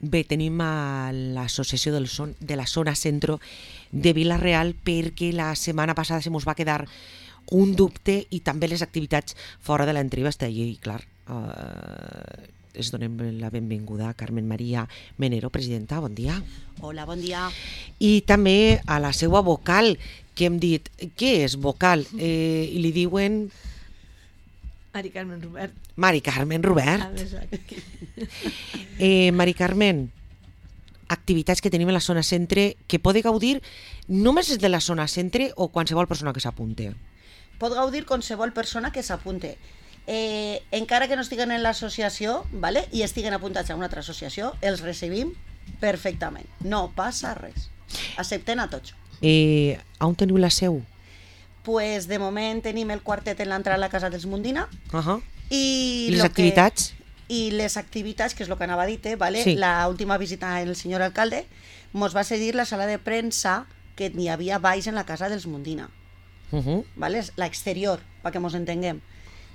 Bé, tenim a l'associació de la zona centro de Vila-real perquè la setmana passada se mos va quedar un dubte i també les activitats fora de l'entrevista i clar, es donem la benvinguda a Carmen Maria Menero, presidenta, bon dia. Hola, bon dia. I també a la seva vocal, que hem dit, què és vocal? I li diuen... Mari Carmen Robert. Mari Carmen Robert. Mari Carmen, activitats que tenim a la zona centre que pode gaudir només de la zona centre o qualsevol persona que s'apunte? Pot gaudir qualsevol persona que s'apunte. Encara que no estiguen en l'associació, ¿vale? I estiguen apuntats a una altra associació, els recibim perfectament. No passa res. Accepten a tots. On teniu la seu? Pues de moment tenim el quartet en l'entrada a la casa dels Mundina. I les activitats? I les activitats, que és el que anava a dir, ¿vale? Sí. La última visita del senyor alcalde mos va cedir la sala de premsa que n'hi havia baix en la casa dels Mundina. ¿Vale? La exterior, para que mos entenguem.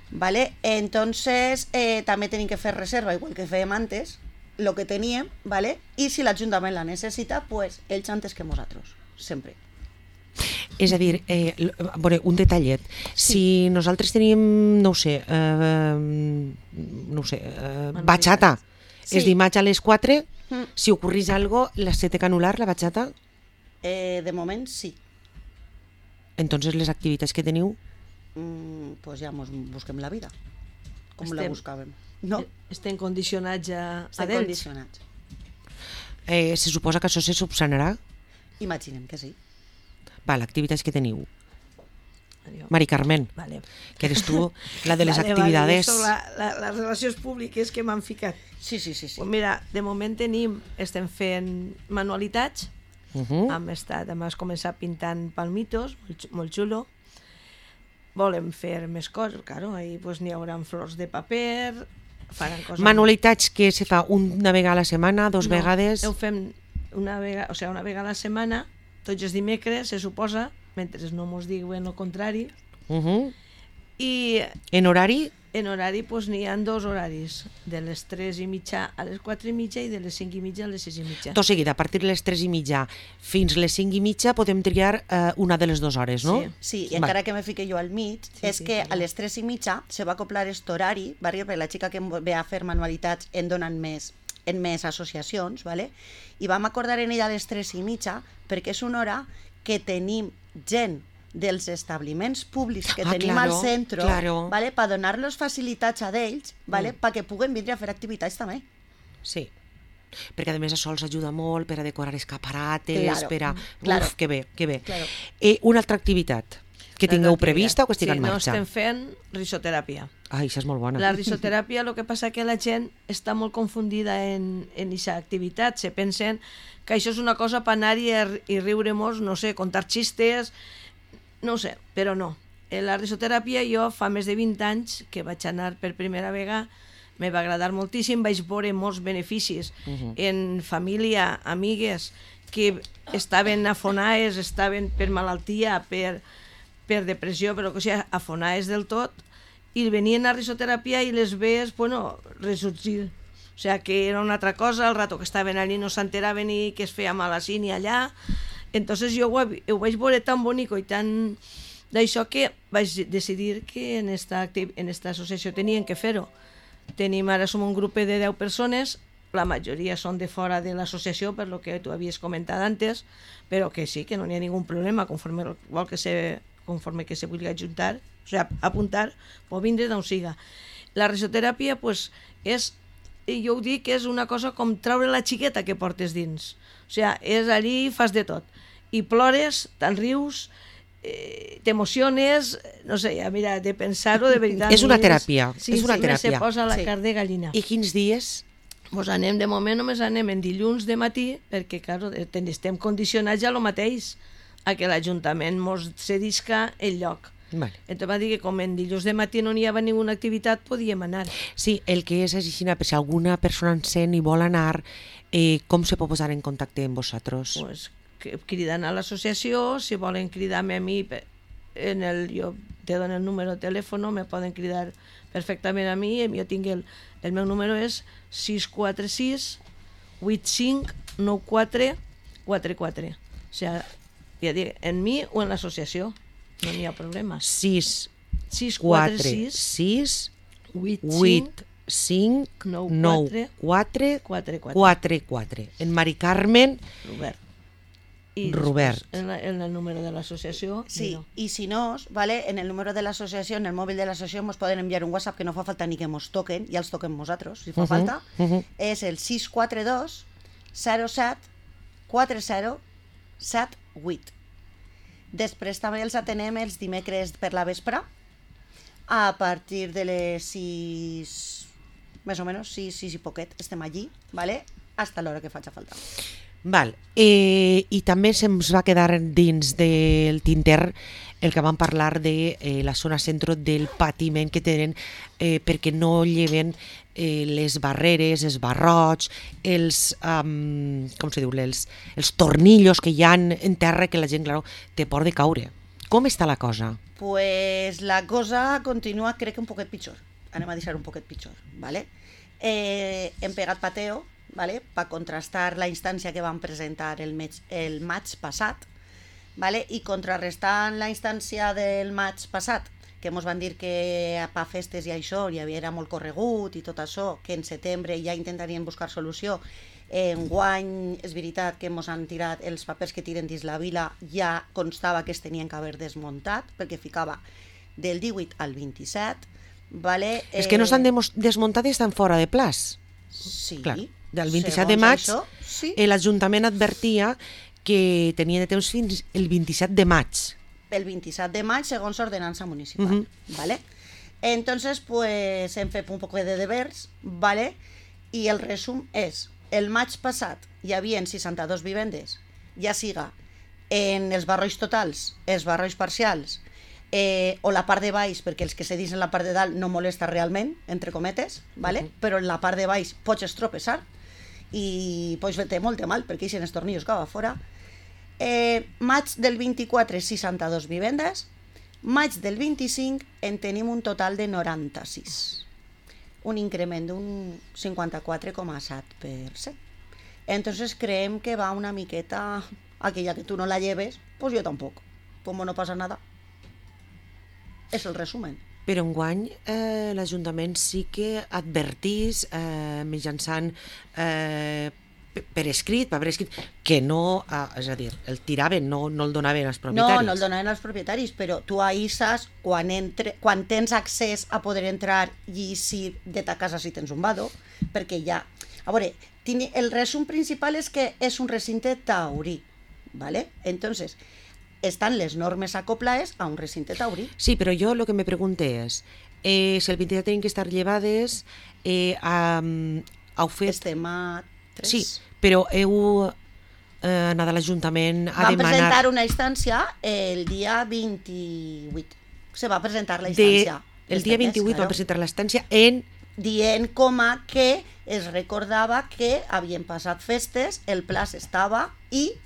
¿Vale? Entonces, també tenim que fer reserva, igual que fèiem antes, lo que teníem, ¿vale? I si l'Ajuntament la necessita, pues ells antes que nosaltres, sempre. És a dir, un detallet. Si nosaltres tenim, bachata, és dimarts a les 4, si ocorrís algo, se té que anul·lar la bachata? De moment, sí. Entonces, les activitats que teniu? Pues ja mos busquem la vida, com la buscàvem. No? Estem condicionats a Estem d'ells. condicionats. Se suposa que això se subsanarà? Imaginem que sí. Val, activitats que teniu. Mari Carmen, Vale. que eres tu la de les actividades. Les relacions públiques que m'han ficat. Sí. Pues mira, de moment estem fent manualitats, hem començat pintant palmitos, molt xulo. Volem fer més coses, claro, ahí pues n'hi haurà flors de paper, faran coses... Manualitats que se fa una vegada a la setmana, dos vegades... Ho fem una vegada a la setmana, tots els dimecres, se suposa, mentre no mos diuen el contrari. I en horari? En horari n'hi ha 2 horaris, de les 3:30 a les 4:30 i de les 5:30 a les 6:30. Tot seguit, a partir de les 3:30 fins les 5:30 podem triar una de les 2 hores, no? Sí, i encara que me fique jo al mig, és que a les 3:30 se va acoplar aquest horari, perquè la xica que ve a fer manualitats en donen més en més associacions, ¿vale? I vam acordar en ella a les 3:30 perquè és una hora que tenim gent dels establiments públics que tenim al centre, ¿vale? Per donar-los facilitats a d'ells, ¿vale? Perquè puguen vindre a fer activitats també. Sí, perquè a més això els ajuda molt per a decorar escaparates, per a... Claro. Uf, que bé, que bé. Claro. Una altra activitat que tingueu prevista o que estigui en marxa? Sí, no, estem fent risoteràpia. Ai, això és molt bona. La risoteràpia, el que passa que la gent està molt confundida en aquesta activitat. Se pensen que això és una cosa per anar i riure-nos, no sé, contar xistes, no sé, però no. La risoteràpia jo fa més de 20 anys que vaig anar per primera vegada, me va agradar moltíssim, vaig veure molts beneficis en família, amigues que estaven afonades, estaven per malaltia, per depressió, però que sigui, afonades del tot, i venien a risoteràpia i les vees, bueno, ressorgir. O sigui, que era una altra cosa, el rato que estaven allí no s'enteraven ni que es feia mal així ni allà. Entonces jo ho vaig veure tan bonic i tan d'això que vaig decidir que en esta associació tenien que fer-ho. Ara som un grup de 10 persones, la majoria són de fora de l'associació, per lo que tu havies comentat antes, però que sí, que no hi ha ningun problema, conforme que se vulgui ajuntar, o sigui, apuntar, pot vindre d'on siga. La risoteràpia, pues, jo ho dic, és una cosa com treure la xiqueta que portes dins. O sigui, és allí, fas de tot. I plores, te'n rius, t'emociones, no sé, mira, de pensar-ho de veritat. És una teràpia, sí, és una teràpia. Se posa la carn de gallina. I quins dies? Pues anem, de moment només anem en dilluns de matí, perquè, clar, estem condicionats ja el mateix, a que l'Ajuntament mos cedisca el lloc. Vale. Entonces va dir que com en dilluns de matí no hi havia ninguna activitat, podíem anar. Sí, el que és així, si alguna persona en sent i vol anar, com se pot posar en contacte amb vosaltres? Pues cridant a l'associació, si volen cridar-me a mi, jo te dono el número de telèfon, me poden cridar perfectament a mi, jo tinc el meu número és 646 859444. O sigui, ja dic, en mi o en l'associació, no n'hi ha problema. 6, 4, 6, 8, 8, 5, 9, 4, 4, 4. En Mari Carmen Robert. I Robert. En el número de l'associació... Sí, no. y si no, ¿vale? En el número de la asociación, en el móvil de la asociación, nos pueden enviar un WhatsApp que no fa falta ni que nos toquen, ya els toquen nosaltres, si fa falta. És el 642 07 40 78. Després també els atenem els dimecres per la vespre, a partir de les 6, més o menys, 6 i poquet, estem allí, ¿vale? Hasta l'hora que faci falta. Val. I també se'ns va quedar dins del tinter el que vam parlar de la zona centro del patiment que tenen perquè no lleven les barreres, els barrots, els, com se diu, els tornillos que hi ha en terra que la gent, clar, té por de caure. Com està la cosa? Pues la cosa continua, crec que un poquet pitjor. Anem a deixar un poquet pitjor, ¿vale? Hem pegat pateo, ¿vale? Per contrastar la instància que vam presentar el maig passat, ¿vale? I contrarrestant la instància del maig passat, que ens van dir que per festes i això hi havia molt corregut i tot això, que en setembre ja intentarien buscar solució. Enguany és veritat que ens han tirat els papers que tiren dins la vila, ja constava que es tenien que haver desmuntat, perquè ficava del 18 al 27, ¿vale? És que no s'han desmuntat i estan fora de plaç. Sí. Clar, del 27 de maig això, sí. l'Ajuntament advertia que tenia de temps fins el 27 de maig. El 27 de maig, segons ordenança municipal, ¿vale? Entonces, pues, hem fet un poc de devers, ¿vale? I el resum és, el maig passat hi havia 62 vivendes, ja siga en els barrois totals, els barrois parcials, o la part de baix, perquè els que se dins en la part de dalt no molesta realment, entre cometes, ¿vale? Però en la part de baix pots estropeçar i pots fer-te molt de mal perquè eixen els tornillos que va fora. Maig del 24, 62 vivendes, maig del 25 en tenim un total de 96, un increment d'un 54,7%. Entonces creem que va una miqueta, aquella que tu no la lleves, pues yo tampoco, como no pasa nada. És el resumen. Però enguany l'Ajuntament sí que advertís mitjançant per escrit, que no, és a dir, el tiraven, no el donaven als propietaris. No el donaven als propietaris, però tu aïsses quan tens accés a poder entrar i eixir de ta casa si tens un vado, perquè ja... A veure, el resum principal és que és un recinte taurí, ¿vale? Entonces, estan les normes acoplades a un recinte taurí. Sí, però jo el que me pregunté és, si el 27 tenen que estar llevades, heu fet... Estem a 3. Sí, però heu anat a l'Ajuntament a demanar... Vam presentar una instància el dia 28. Se va presentar la instància. El dia 28 va presentar la instància dient com a que es recordava que havien passat festes, el plaç estava i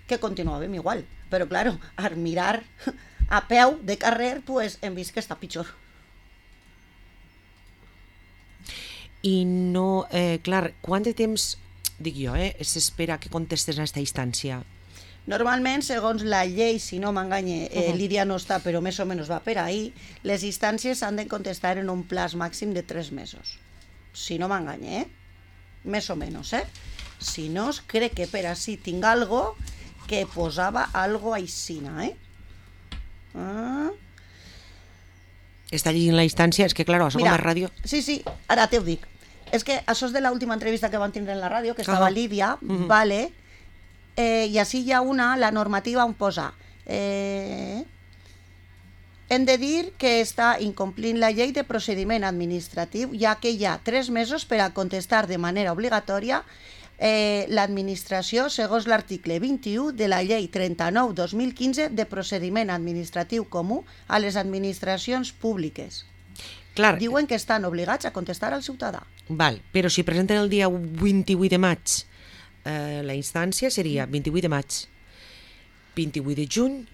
que continuàvem igual. Però, claro, al mirar a peu de carrer, pues, hem vist que està pitjor. I no... clar, quant de temps, dic jo, s'espera que contestes a aquesta instància? Normalment, segons la llei, si no m'enganye, Lídia no està, però més o menys va per ahí, les instàncies han de contestar en un plaç màxim de 3 mesos. Si no m'enganye, més o menys, Si no, crec que per així tinc algo que posava algo aixina, Està llegint la instància, és que, clar, això com a ràdio... Sí, ara te ho dic. És que això és de l'última entrevista que van tindre en la ràdio, que estava Lídia, vale, i així hi ha la normativa on posa hem de dir que està incomplint la llei de procediment administratiu, ja que hi ha 3 mesos per a contestar de manera obligatòria l'administració segons l'article 21 de la llei 39/2015 de procediment administratiu comú a les administracions públiques. Clar. Diuen que estan obligats a contestar al ciutadà. Val, però si presenten el dia 28 de maig, la instància seria 28 de maig, 28 de juny,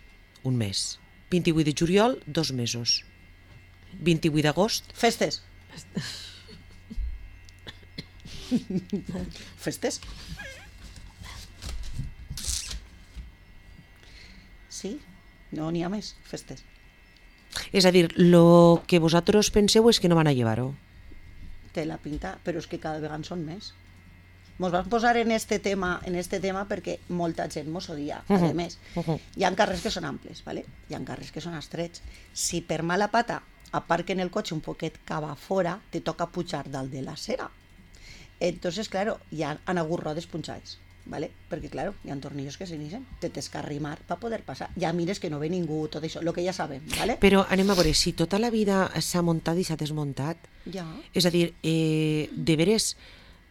un mes, 28 de juliol, 2 mesos, 28 d'agost... Festes. Festes. Sí, no n'hi ha més, festes. És a dir, lo que vosaltres penseu és que no van a llevar-ho. Té la pinta, però és que cada vegada en són més. Mos vam posar en este tema perquè molta gent mos odia. A més, hi ha carrers que són amples, ¿vale? Hi ha carrers que són estrets. Si per mala pata aparquen el cotxe un poquet cap a fora, te toca pujar dalt de la acera. Entonces, claro, ja han hagut rodes punxades, ¿vale? Perquè, claro, hi ha tornillos que s'inician, te tens que arrimar per poder passar. Ja mires que no ve ningú, tot això, el que ja sabem, ¿vale? Però anem a veure, si tota la vida s'ha muntat i s'ha desmuntat, Ja. és a dir, de veres,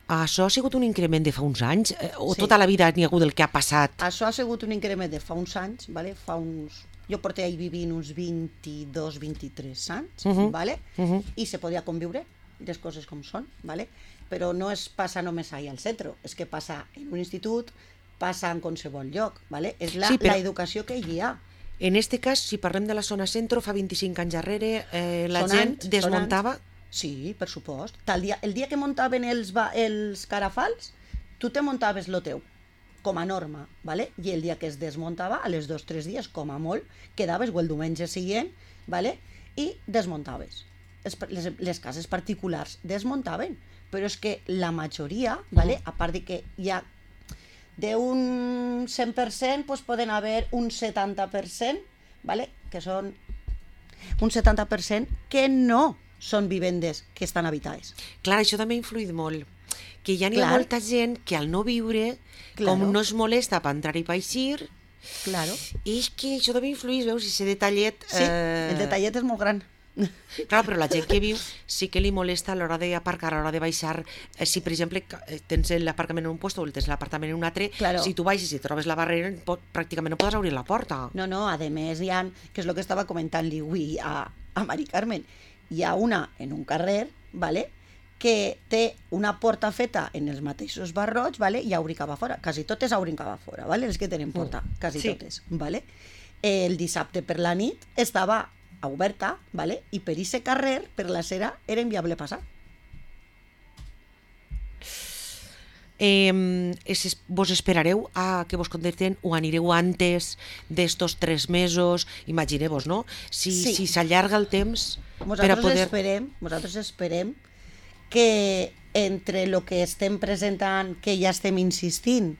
això ha sigut un increment de fa uns anys? O Sí. tota la vida n'hi ha hagut el que ha passat? Això ha sigut un increment de fa uns anys, ¿vale? Jo porté ahí vivint uns 22-23 anys, ¿vale? I se podia conviure, les coses com són, ¿vale? Però no es passa només ahí al centre, és que passa en un institut, passa en qualsevol lloc, ¿vale? És la educació que hi ha. En este cas, si parlem de la zona centro, fa 25 anys darrere, la Són gent anys, desmuntava... Sí, per supost. El dia que muntaven els carafals, tu te muntaves lo teu, com a norma, ¿vale? I el dia que es desmuntava, a les 2 o 3 dies, com a molt, quedaves o el diumenge següent, ¿vale? I desmuntaves. Les cases particulars desmuntaven, però és que la majoria, ¿vale? A part de que hi ha d'un 100%, pues poden haver un 70%, ¿vale? Que són un 70% que no són vivendes que estan habitades. Clar, això també ha influït molt. Que ja n'hi ha molta gent que al no viure, com no es molesta per entrar i per eixir, Claro. és que això també influïx, veus, i ese detallet... Sí, el detallet és molt gran. Clar, però la gent que viu sí que li molesta a l'hora d'aparcar, a l'hora de baixar. Si, per exemple, tens l'aparcament en un lloc o tens l'apartament en un altre, si tu baixes i trobes la barrera, pràcticament no podràs obrir la porta. No, a més hi ha, que és el que estava comentant-li avui a Mari Carmen, hi ha una en un carrer, ¿vale?, que té una porta feta en els mateixos barrots, ¿vale?, i obri cap a fora. Quasi totes obrin cap a fora, ¿vale?, les que tenen porta, quasi totes, ¿vale? El dissabte per la nit estava oberta, ¿vale?, i per ese carrer, per la cera, era inviable passar. Vos esperareu a que vos contesten o anireu antes d'estos 3 mesos? Imagineu-vos, no? Si s'allarga el temps per a poder... Nosaltres esperem que entre el que estem presentant, que ja estem insistint,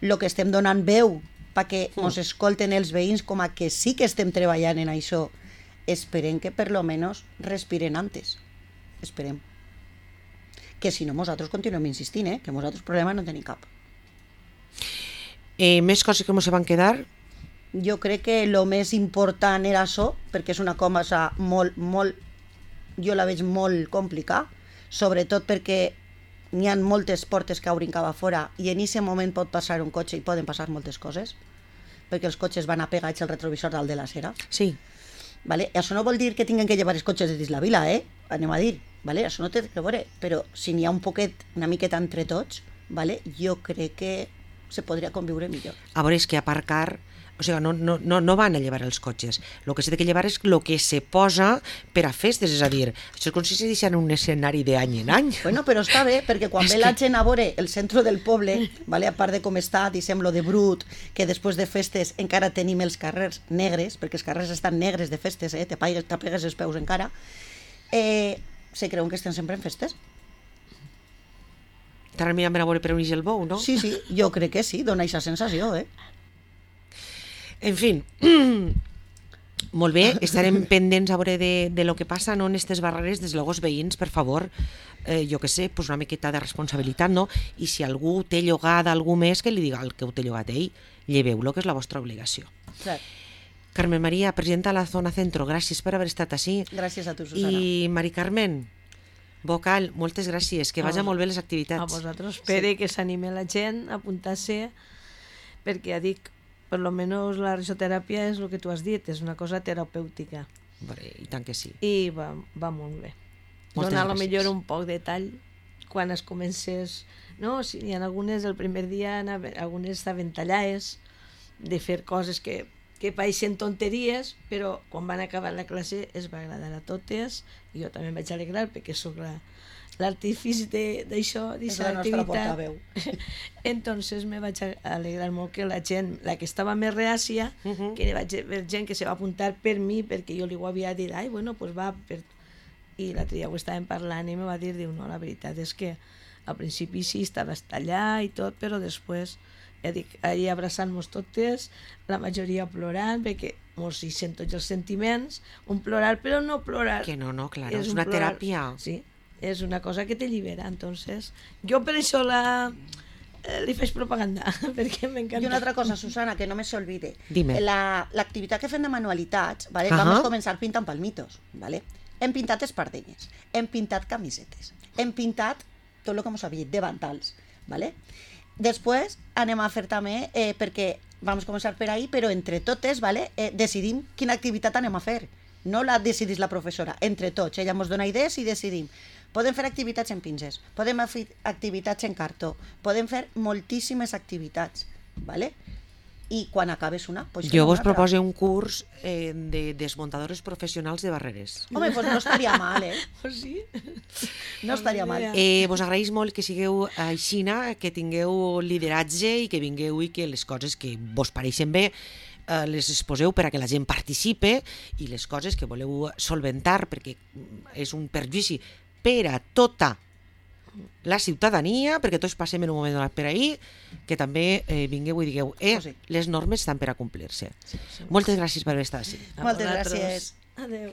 el que estem donant veu perquè ens escolten els veïns com a que sí que estem treballant en això, esperem que per lo menos respiren antes. Esperem. Que si no, nosaltres continuem insistint, que nosaltres problema no tenim cap. Més coses que ens van quedar? Jo crec que el més important era això, perquè és una cosa molt, jo la veig molt complicada, sobretot perquè n'hi ha moltes portes que obrin cap a fora i en aquest moment pot passar un cotxe i poden passar moltes coses, perquè els cotxes van apegats al retrovisor dalt de la cera. Sí. Vale? Això no vol dir que tinguin que llevar els cotxes de dins la vila, anem a dir. Vale? Això no té que veure, però si n'hi ha una miqueta entre tots, vale? Jo crec que se podria conviure millor. A veure, és que aparcar... O sigui, no van a llevar els cotxes. El que s'ha de llevar és el que se posa per a festes, és a dir, això és com si se deixen un escenari d'any en any. Bueno, però està bé, perquè quan ve la gent a veure el centre del poble, vale, a part de com està, diguem, lo de brut, que després de festes encara tenim els carrers negres, perquè els carrers estan negres de festes, t'apegues els peus encara, se creuen que estem sempre en festes. T'ara mirant a veure per on ix el bou, no? Sí, jo crec que sí, dona aquesta sensació, En fi, molt bé, estarem pendents a veure de lo que passa, no, en aquestes barreres, des de els veïns, per favor, jo que sé, pues una miqueta de responsabilitat, no? I si algú té llogada algú més, que li diga el que ho té llogat ell, lleveu-lo, que és la vostra obligació. Clar. Carmen María, presidenta de la Zona Centro, gràcies per haver estat així. Gràcies a tu, Susana. I Mari Carmen, vocal, moltes gràcies, que vagi molt bé les activitats. A vosaltres, espere que s'anime la gent a apuntar-se, perquè ja dic, per lo menos la risoteràpia és el que tu has dit, és una cosa terapèutica. I tant que sí. I va molt bé. Donar a lo millor un poc de tall quan es comences... No, si hi ha algunes, el primer dia, algunes estaven tallades, de fer coses que pareixen tonteries, però quan van acabar la classe es va agradar a totes, i jo també em vaig alegrar perquè sóc l'artifici d'això, És d'aquesta la nostra activitat. portaveu. Entonces me vaig alegrar molt que la gent, la que estava més reàcia, que vaig veure gent que se va apuntar per mi, perquè jo li ho havia dit, ai, bueno, pues va, i l'altre dia ho estàvem parlant i me va dir, diu, no, la veritat és que al principi sí, estaves allà i tot, però després, ja dic, ahir abraçant-nos totes, la majoria plorant, perquè mos hi sent tots els sentiments, un plorar, però no plorar. Que no, claro, és un una plorar, teràpia. Sí, és una cosa que te llibera, entonces jo per això li faig propaganda, perquè m'encanta. I una altra cosa, Susana, que no me se olvide. Dime. L'activitat que fem de manualitats, ¿vale? Vamos a començar pintant palmitos, ¿vale? Hem pintat espardenyes, hem pintat camisetes, hem pintat tot el que mos havia dit, davantals, ¿vale? Després anem a fer també, perquè vam començar per ahí, però entre totes, ¿vale? Decidim quina activitat anem a fer. No la decidís la professora, entre tots. Ella ens dona idees i decidim. Podem fer activitats en pinces, podem fer activitats en cartó, podem fer moltíssimes activitats, ¿vale? I quan acabes una, pues jo vos proposo un curs de desmuntadores professionals de barreres. Home, pues no estaria mal, Pues sí. No estaria mal. Vos agraïs molt que sigueu aixina, que tingueu lideratge i que vingueu i que les coses que vos pareixen bé les exposeu per a que la gent participe i les coses que voleu solventar perquè és un perjudici per a tota la ciutadania, perquè tots passem en un moment donat per ahí, que també vingueu i digueu les normes estan per a complir-se. Moltes gràcies per haver estat així. Moltes gràcies. Adéu.